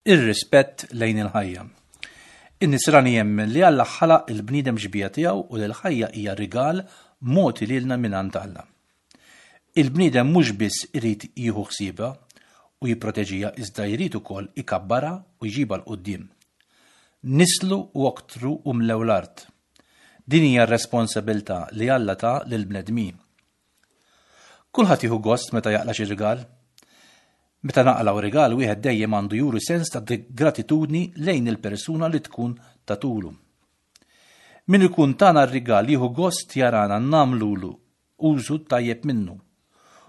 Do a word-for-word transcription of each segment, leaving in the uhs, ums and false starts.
Ir-rispett lejn il-ħajja. In-Nisrani jemmen li Alla ħalaq il-bniedem xbieha tiegħu u li l-ħajja hija rigal mogħti lilna mingħand Alla. Il-bniedem mhux biss irid jieħu ħsiebha u jipproteġiha, iżda jrid ukoll ikabbarha u jġibha 'l quddiem. Nisslu u oktru u mlew l-art. Din hija r-responsabilità li Alla ta lill-bnedmin. Kulħadd jieħu gost meta jaqla' xi rigal. Meta naqilgħu rigal, wieħed dejjem għandu juri sens ta' gratitudni lejn il-persuna li tkun tatulu. Min ikun tana r-rigal jieħu gost jarana nagħmlulu użu tajjeb minnu,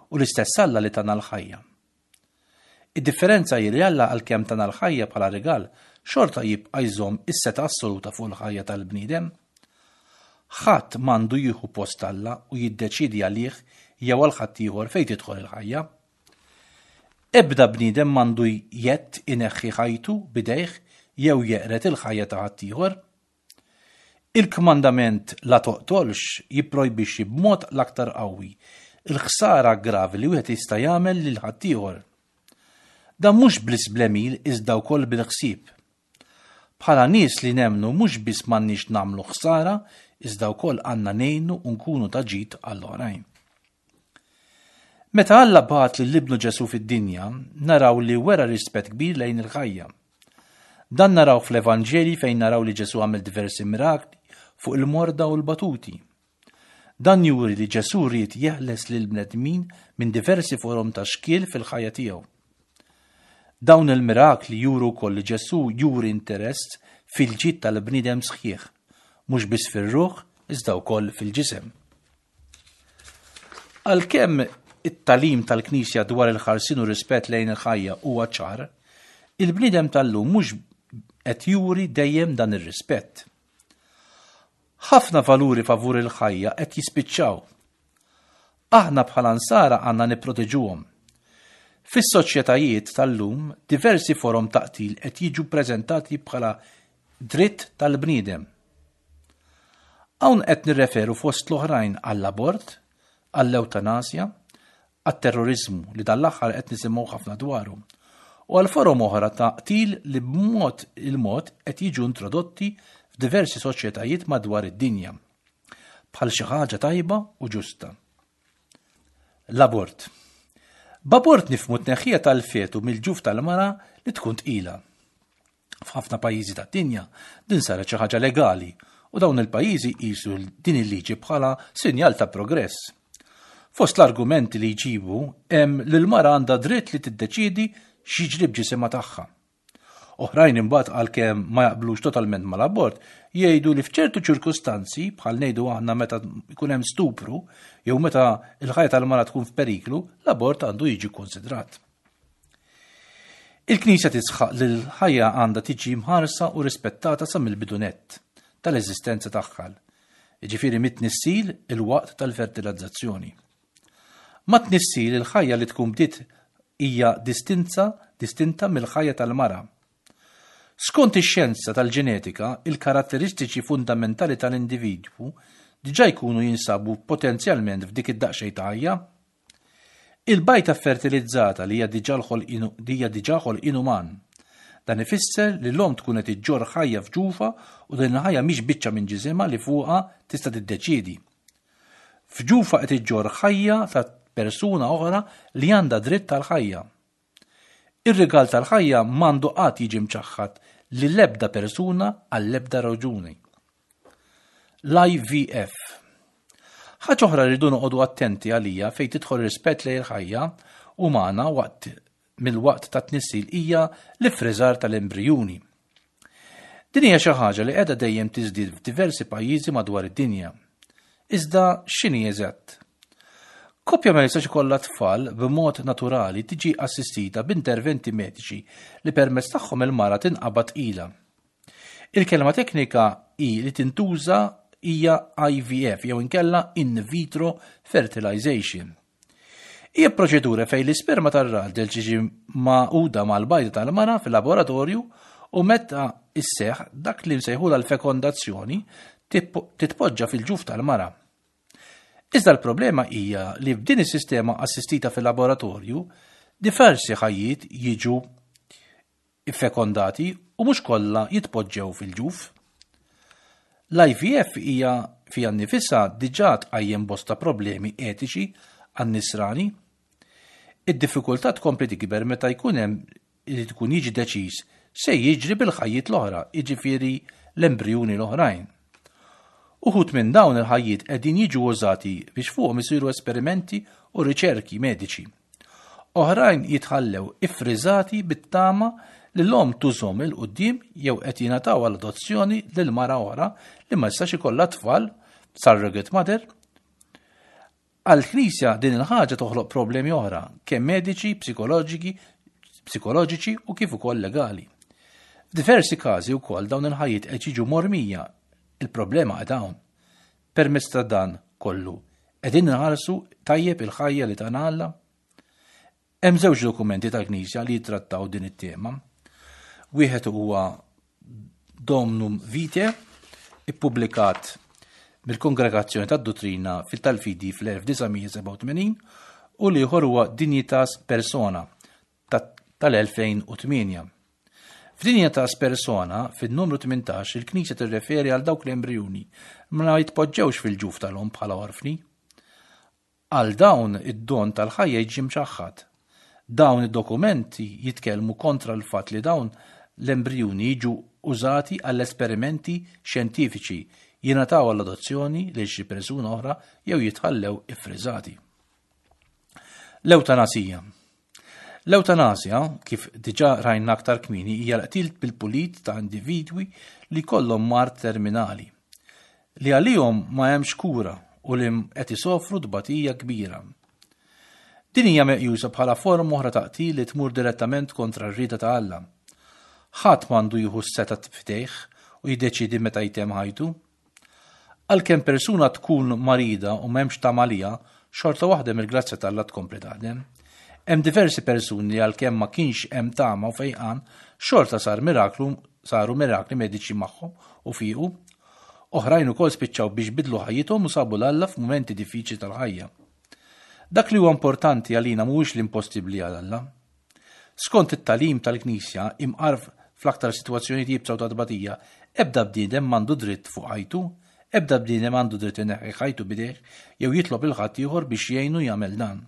u l-istess Alla li tana l-ħajja. Id-differenza hi li Alla, għalkemm tana l-ħajja bħala rigal, xorta jibqa' jżomm is-setgħa assoluta fuq il-ħajja tal-bniedem. Ħadd m'għandu jieħu post Alla u jiddeċidi għalih jew għal ħaddieħor fejn tidħol il-ħajja. Ebda bniedem m'għandu jett ineħħi ħajtu bidejh jew jeqred il-ħajja ta' ħaddieħor. Il-kmandament "la toqtolx" jipprojbixxi b'mod l-aktar qawwi il-ħsara gravi li wieħed jista' jagħmel lil ħaddieħor. Dan mhux biss bl-għemil iżda wkoll bil-ħsieb. Bħala nies li nemmnu, mhux biss m'għandniex nagħmlu ħsara, iżda wkoll għandna ngħinu u nkunu ta' ġid għall-oħrajn. Meta Alla bagħat lil Ibnu Ġesu fid-dinja, naraw li wera rispett kbir lejn il-ħajja. Dan naraw fl-Evanġeli, fejn naraw li Ġesu għamel diversi mirakli fuq il-morda u l-batuti. Dan juri li Ġesu ried jeħles lil bnedmin minn diversi forom ta' xkiel fil-ħajja tiegħu. Dawn il-mirakli juru wkoll li Ġesu juri interess fil-ġid tal-bniedem sħiħ, mhux biss fir-ruħ iżda wkoll fil-ġisem. Għalkemm it-tagħlim tal-Knisja dwar il-ħarsien u rispett lejn il-ħajja huwa ċar, il-bniedem tal-lum mhux qed juri dejjem dan ir-rispett. Ħafna valuri favur il-ħajja qed jispiċċaw. Aħna bħala Nsara għandna nipproteġuhom. Fis-soċjetajiet tal-lum, diversi forom ta' qtil qed jiġu preżentati bħala dritt tal-bniedem. Hawn qed nirreferu fost l-oħrajn għall-abort, għall-eutanasja, għat-terrorizmu li dal-aħħar qed nisimgħu ħafna dwaru, u għal forom oħra ta' qtil li b'mod il-mod qed jiġu introdotti f'diversi soċjetajiet madwar id-dinja bħal xi ħaġa tajba u ġusta. L-abort. B'abort nifhmu tneħħija tal-fetu mill-ġuf tal-mara li tkun tqila. F'ħafna pajjiżi tad-dinja din saret xi ħaġa legali u dawn il-pajjiżi qisu din il-liġi bħala sinjal ta' progress. Fost l-argumenti li jġibu hemm li l-mara għandha dritt li tiddeċidi x'jiġri b'ġisimha tagħha. Oħrajn imbagħad, għalkemm ma jaqblux totalment mal-abort, jgħidu li f'ċertu ċirkustanzi, bħal ngħidu aħna meta jkun hemm stupru jew meta l-ħajja tal-mara tkun f'periklu, l-abort għandu jiġi konsidrat. Il-Knisja tisħaq li l-ħajja għandha tiġi mħarsa u rispettata sa mill-bidu nett tal-eżistenza tagħha, jiġifieri mit-tnissil, il-waqt tal-fertilizzazzjoni. Mat-tnissil, il-ħajja li tkun bdiet hija distinza distinta mill-ħajja tal-mara. Skont ix-xjenza tal-ġenetika, il-karatteristiċi fundamentali tal-individwu diġà jkunu jinsabu potenzjalment f'dik id-daqsxejn ta' ħajja. Il-bajta fertilizzata li hija diġà hija diġà ħolqien uman. Dan ifisser li l-om tkun qed iġġorr ħajja f'ġufha u din il-ħajja mhix biċċa minn ġisimha li fuqha tista' tiddeċiedi. F'ġufha qed iġġorr ħajja ta' persuna oħra li għandha dritt tal-ħajja. Ir-rigal tal-ħajja m'għandu qatt jiġi mċaħħad lil ebda persuna għall-ebda raġuni. L-I V F. Ħaġa oħra rridu noqogħdu attenti għalija fejn tidħol rispett lejn il-ħajja umana waqt mill-waqt ta' tnissil hija l-ifriżar tal-embrijuni. Din hija xi ħaġa li qiegħda dejjem tiżdied f'diversi pajjiżi madwar id-dinja. Iżda x'inhi eżatt? Koppja ma jistax ikollha tfal b'mod naturali tiġi assistita b'interventi mediċi li permezz tagħhom il-mara tinqabad tqila. Il-kelma teknika i li tintuża hija I V F jew inkella in vitro fertilization. Hija proċedura fejn l-isperma tar-raġel tiġi magħquda mal-bajda tal-mara fil-laboratorju u meta isseħ dak li nsejħula l-fekondazzjoni, titpoġġa fil-ġuf tal-mara. Iżda l-problema hija li f'din is-sistema assistita fil-laboratorju diversi ħajjiet jiġu iffekondati u mhux kollha jitpoġġew fil-ġuf. L-I V F hija fiha nnifisha diġà tqajjem bosta problemi etiċi għan-nisrani. Id-diffikultà tkompli tikber meta jkun hemm li tkun jiġi deċiż se jiġri bil-ħajjiet l-oħra, jiġifieri l-embrijuni l-oħrajn. Uħud minn dawn il-ħajjiet qegħdin jiġu użati biex fuqhom isiru esperimenti u riċerki mediċi. Oħrajn jitħallew iffriżati bit-tama li l-om tużhom 'il quddiem jew qed jingħataw għal adozzjoni lil mara oħra li ma jistax ikollha tfal, surrogate mother. Għal-Knisja din il-ħaġa toħloq problemi oħra, kemm mediċi, psikoloġiki, psikoloġiċi u kif ukoll legali. F'diversi każi wkoll dawn il-ħajjiet qed jiġu mormija. Il-problema qed hawn. Permezz ta' dan kollu, qegħdin inħarsu tajjeb il-ħajja li tana Alla? Hemm żewġ dokumenti tal-Knisja li jittrattaw din it-tema. Wieħed huwa Donum Vitae, ippubblikat mill-Kongregazzjoni tad-Dottrina fil-tal-Fidi fl-elf disa' mija sebgħa u tmenin, u l-ieħor huwa Dignitas Persona tal-elfejn u tmienja. F'Dignitas Persona, fin-numru tmintax, il-Knisja tirreferi għal dawk l-embrijuni ma jitpoġġewx fil-ġuf tal-om bħala orfni. Għal dawn id-don tal-ħajja jiġi mċaħħad. Dawn id-dokumenti jitkellmu kontra l-fatt li dawn l-embrijuni jiġu użati għall-esperimenti xjentifiċi, jingħataw għall-adozzjoni lil xi persuna oħra jew jitħallew iffriżati. L-ewtanasija. L-ewtanasja, kif diġà rajna aktar kmieni, hija l-qtil bil-pulit ta' individwi li kollhom mard terminali, li għalihom ma hemmx kura u li qed isofru tbatija kbira. Din hija meqjusa bħala forma oħra ta' qtil li tmur direttament kontra r-rieda ta' Alla. Ħadd m'għandu jieħu s-setgħa f'idejh u jiddeċidi meta jtemm ħajtu. Għalkemm persuna tkun marida u m'hemmx tama għaliha, xorta waħda mill-grazzja t'Alla tkompli taħdem. Hemm diversi persuni li għalkemm ma kienx hemm tama u fejqan, xorta sar miraklu, saru mirakli mediċi magħhom u fiqu. Oħrajn ukoll spiċċaw biex bidlu ħajjithom u sabu 'l Alla f'mumenti diffiċli tal-ħajja. Dak li huwa importanti għalina mhuwiex l-impossibbli għal Alla. Skont it-tagħlim tal-Knisja, imqar fl-aktar sitwazzjonijiet iebsa u ta' tbatija, ebda bniedem m'għandu dritt fuq ħajtu, ebda bniedem għandu dritt ineħħi ħajtu b'idejh jew jitlob lil ħadd ieħor biex jgħinu jagħmel dan.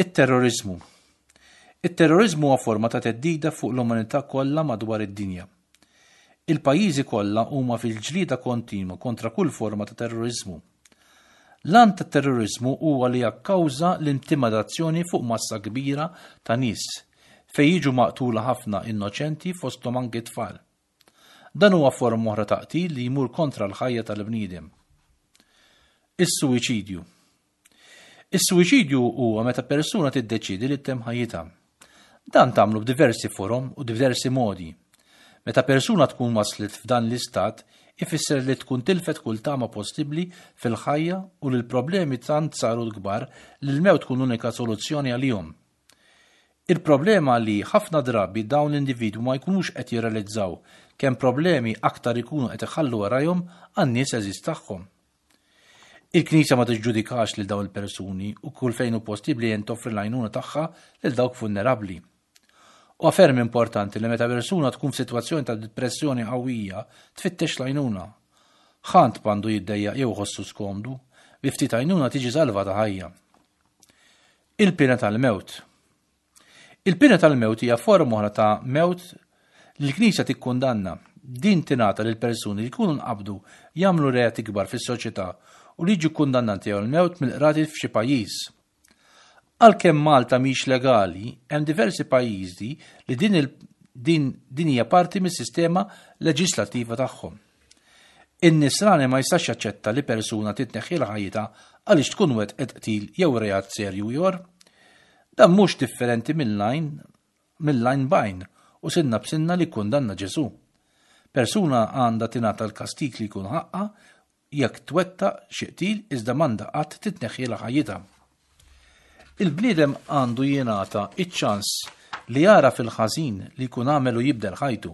It-terrorizmu. It-terrorizmu huwa forma ta' theddida fuq l-umanità kollha madwar id-dinja. Il-pajjiżi kollha huma fil-ġlieda kontinwa kontra kull forma ta' terrorizmu. L-għan ta' terrorizmu huwa li jakkawża l-intimidazzjoni fuq massa kbira ta' nies fejn jiġu maqtula ħafna innoċenti, fosthom anki tfal. Dan huwa forma oħra ta' qtil li jmur kontra l-ħajja tal-bniedem. Is-suwiċidju. Is-suwiċidju huwa meta persuna tiddeċidi li ttemm ħajjitha. Dan tagħmlu b'diversi forom u diversi modi. Meta persuna tkun waslet f'dan l-istat, ifisser li tkun tilfet kull tama possibbli fil-ħajja u li l-problemi tant saru kbar li l-mewt tkun unika soluzzjoni għalihom. Il-problema li ħafna drabi dawn l-individwu ma jkunux qed jirrealizzaw kemm problemi aktar ikunu qed iħallu warajhom għan-nies għeżież tagħhom. Il-Knisja ma tiġġudikax lil dawn il-persuni u kull fejn hu possibbli jen toffri l-għajnuna tagħha lil dawk vulnerabbli. U ferm importanti li meta persuna tkun f'sitwazzjoni ta' depressjoni qawwija tfittex l-għajnuna. Ħadd m'għandu jiddejjaq jew iħossu skomdu, bi ftit għajnuna tiġi salvata ħajja. Il-pena tal-mewt. Il-pena tal-mewt hija forma oħra ta' mewt li l-Knisja tikkundanna. Din tingħata lil persuni li jkunu nqabdu jagħmlu reati kbar fis-soċjetà u li jiġu kundannati għal mewt mill-qrati f'xi pajjiż. Għalkemm Malta mhix legali, hemm diversi pajjiżi li din, il, din, din hija parti mis-sistema leġislattiva tagħhom. In-nisrani ma jistax jaċċetta li persuna titneħħi ħajjitha għaliex tkun wettqet qtil jew reat serju ieħor. Dan mhux differenti mill-għajn mill-għajn b'għajn u sinna b'sinna li kundanna Ġesu. Persuna għandha tingħata l-kastik li jkun ħaqqa jekk twettaq xi qtil, iżda m'għandha qatt titneħħi ħajjitha. Il-bniedem għandu jingħata iċ-ċans li jara fil-ħażin li jkun għamel u jibdel ħajtu.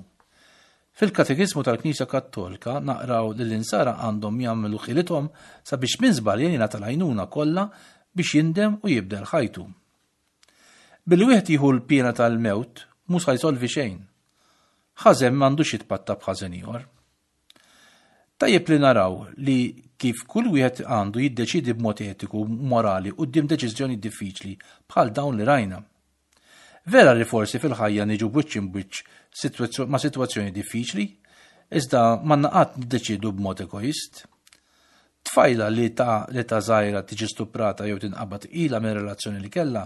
Fil-Katekiżmu tal-Knisja Kattolika naqraw li l-insara għandhom jagħmlu ħilithom sabiex min żbalja jingħata l-għajnuna kollha biex jindem u jibdel ħajtu. Billi wieħed jieħu l-piena tal-mewt mhu sa jsolvi xejn. Ħażen m'għandux jitpatta b'ħażen ieħor. Tajjeb li naraw li kif kull wieħed għandu jiddeċidi b'mod etiku u morali quddiem deċiżjoni diffiċli bħal dawn li rajna. Vera li forsi fil-ħajja niġu b'wiċċ imbwiċċ ma' sitwazzjoni diffiċli, iżda m'għandna qatt niddeċidu b'mod egoist. Tfajla li ta' li ta' żgħira tiġi stuprata jew tinqabad tqila minn relazzjoni li kellha,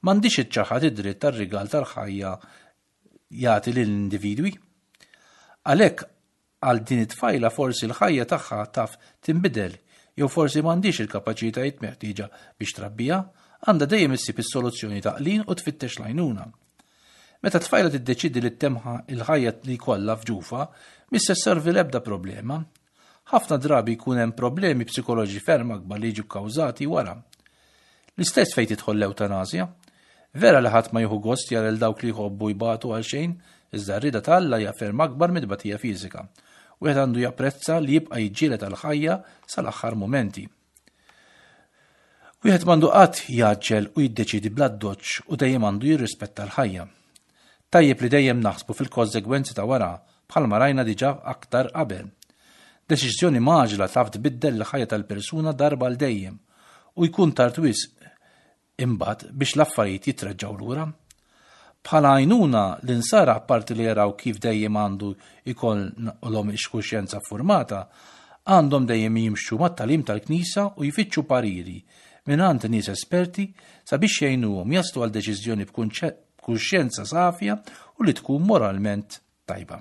m'għandhiex iċċaħħad id-dritt tar-rigal tal-ħajja jagħti lill-individwi. Għalhekk għal din it-tfajla forsi l-ħajja tagħha taf tinbidel jew forsi m'għandhiex il-kapaċitajiet meħtieġa biex trabbija, għandha dejjem issib is-soluzzjoni taqlin u tfittex l-għajnuna. Meta tfajla tiddeċidi li ttemm il-ħajja li jkollha f'ġufha, mhix se sservi l-ebda problema. Ħafna drabi jkun hemm problemi psikoloġi ferm akbar li jiġu kkawżati wara. L-istess fejn tidħol l-ewtanasja. Vera li ħadd ma jieħu gost jara lil dawk li jħobbu jbatu għal xejn, iżda r-rieda ta' Alla hija ferm akbar mid-tbatija fiżika. Wieħed għandu japprezza li jibqa' jiġġieled għall-ħajja sal-aħħar mumenti. Wieħed m'għandu qatt jgħaġġel u jiddeċidi bl-addoċċ u dejjem għandu jirrispetta l-ħajja. Tajjeb li dejjem naħsbu fil-konsegwenzi ta' wara bħalma rajna diġà aktar qabel. Deċiżjoni mgħaġġla taf tbiddel il-ħajja tal-persuna darba għal dejjem u jkun tard wisq imbagħad biex l-affarijiet jitreġġgħu lura. Bħala għajnuna l-insara apparti li jaraw kif dejjem għandu jkollhom ix-kuxjenza formata, għandhom dejjem jimxu mat-tagħlim tal-Knisja u jfittxu pariri mingħand nies esperti sabiex jgħinuhom jaslu għal deċiżjoni b'kuxjenza safja u li tkun moralment tajba.